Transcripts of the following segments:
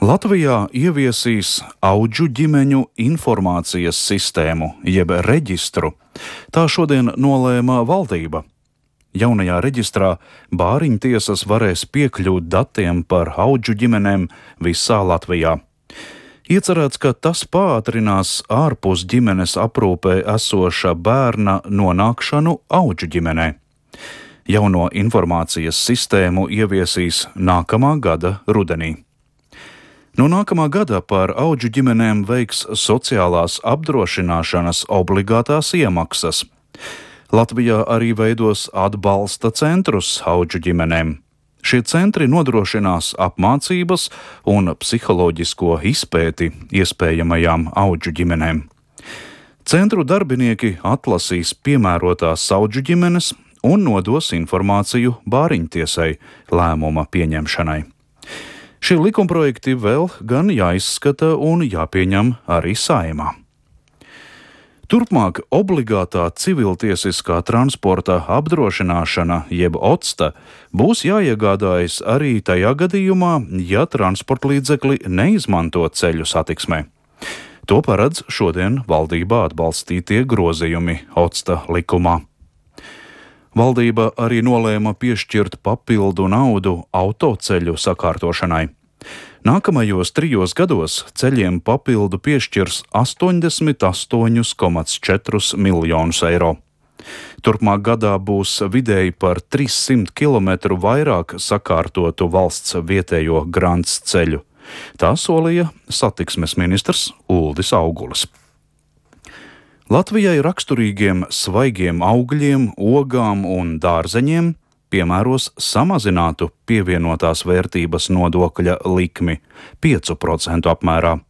Latvijā ieviesīs audžu ģimeņu informācijas sistēmu, jeb reģistru. Tā šodien nolēma valdība. Jaunajā reģistrā bāriņtiesas varēs piekļūt datiem par audžu ģimenēm visā Latvijā. Iecerēts, ka tas pātrinās ārpus ģimenes aprūpē esoša bērna nonākšanu audžu ģimenē. Jauno informācijas sistēmu ieviesīs nākamā gada rudenī. No nākamā gada par audžu ģimenēm veiks sociālās apdrošināšanas obligātās iemaksas. Latvijā arī veidos atbalsta centrus audžu ģimenēm. Šie centri nodrošinās apmācības un psiholoģisko izpēti iespējamajām audžu ģimenēm. Centru darbinieki atlasīs piemērotās audžu ģimenes un nodos informāciju bāriņtiesai lēmuma pieņemšanai. Šie likumprojekti vēl gan jāizskata un jāpieņem arī Saeimā. Turpmāk obligātā civiltiesiskā transporta apdrošināšana, jeb OTSTA, būs jāiegādājas arī tajā gadījumā, ja transportlīdzekli neizmanto ceļu satiksmē. To paredz šodien valdībā atbalstītie grozījumi OTSTA likumā. Valdība arī nolēma piešķirt papildu naudu autoceļu sakārtošanai. Nākamajos 3 gados ceļiem papildu piešķirs 88,4 miljonus eiro. Turpmāk gadā būs vidēji par 300 km vairāk sakārtotu valsts vietējo grants ceļu. Tā solīja satiksmes ministrs Uldis Augulis. Latvijai raksturīgiem svaigiem augļiem, ogām un dārzeņiem piemēros samazinātu pievienotās vērtības nodokļa likmi 5% apmērā.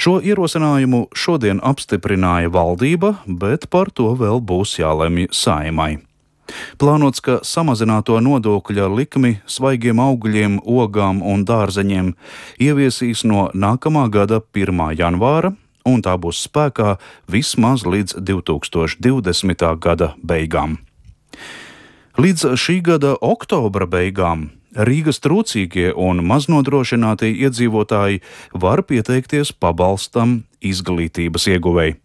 Šo ierosinājumu šodien apstiprināja valdība, bet par to vēl būs jālemj Saeimai. Plānots, ka samazināto nodokļa likmi svaigiem augļiem, ogām un dārzeņiem ieviesīs no nākamā gada 1. janvāra, un tā būs spēkā vismaz līdz 2020. gada beigām. Līdz šī gada oktobra beigām Rīgas trūcīgie un maznodrošinātie iedzīvotāji var pieteikties pabalstam izglītības ieguvēji.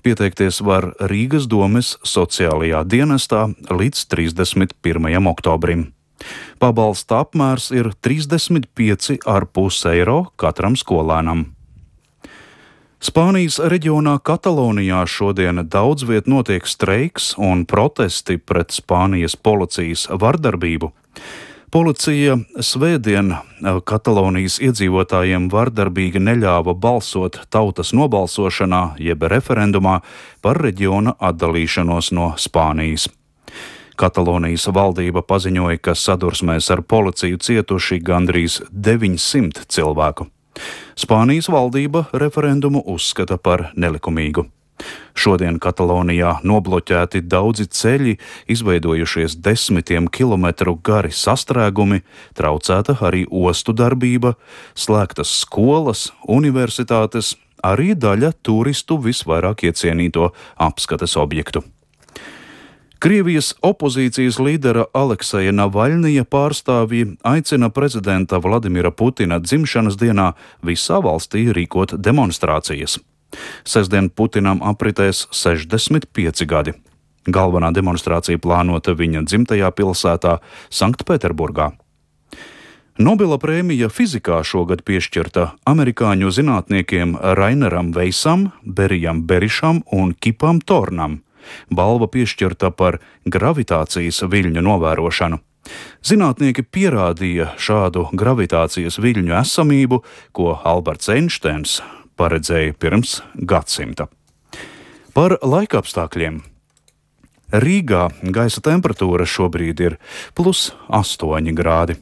Pieteikties var Rīgas domes sociālajā dienestā līdz 31. oktobrim. Pabalsta apmērs ir 35,5 eiro katram skolēnam. Spānijas reģionā Katalonijā šodien daudz viet notiek streiks un protesti pret Spānijas policijas vardarbību. Policija svētdien Katalonijas iedzīvotājiem vardarbīgi neļāva balsot tautas nobalsošanā, jeb referendumā par reģiona atdalīšanos no Spānijas. Katalonijas valdība paziņoja, ka sadursmēs ar policiju cietuši gandrīz 900 cilvēku. Spānijas valdība referendumu uzskata par nelikumīgu. Šodien Katalonijā nobloķēti daudzi ceļi, izveidojušies 10 kilometru gari sastrēgumi, traucēta arī ostu darbība, slēgtas skolas, universitātes, arī daļa turistu visvairāk iecienīto apskates objektu. Krievijas opozīcijas līdera Alekseja Navaļnija pārstāvji aicina prezidenta Vladimira Putina dzimšanas dienā visā valstī rīkot demonstrācijas. Sestdien Putinam apritēs 65 gadi. Galvenā demonstrācija plānota viņa dzimtajā pilsētā Sanktpēterburgā. Nobela prēmija fizikā šogad piešķirta amerikāņu zinātniekiem Raineram Veisam, Berijam Berišam un Kipam Tornam. Balva piešķirta par gravitācijas viļņu novērošanu. Zinātnieki pierādīja šādu gravitācijas viļņu esamību, ko Alberts Einsteins paredzēja pirms gadsimta. Par laikapstākļiem. Rīgā gaisa temperatūra šobrīd ir +8 grādi.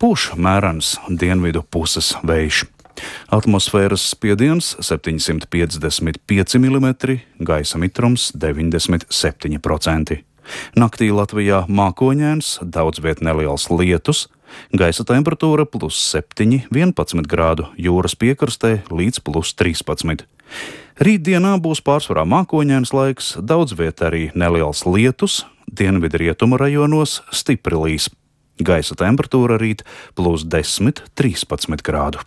Pūš mērens dienvidu puses vējš. Atmosfēras spiediens 755 mm, gaisa mitrums 97%. Naktī Latvijā mākoņains, daudz viet neliels lietus, gaisa temperatūra +7, 11 grādu, jūras piekrastē līdz +13. Rītdienā būs pārsvarā mākoņains laiks, daudz viet arī neliels lietus, dienvidrietumu rajonos stipri līs. Gaisa temperatūra rīt +10, 13 grādu.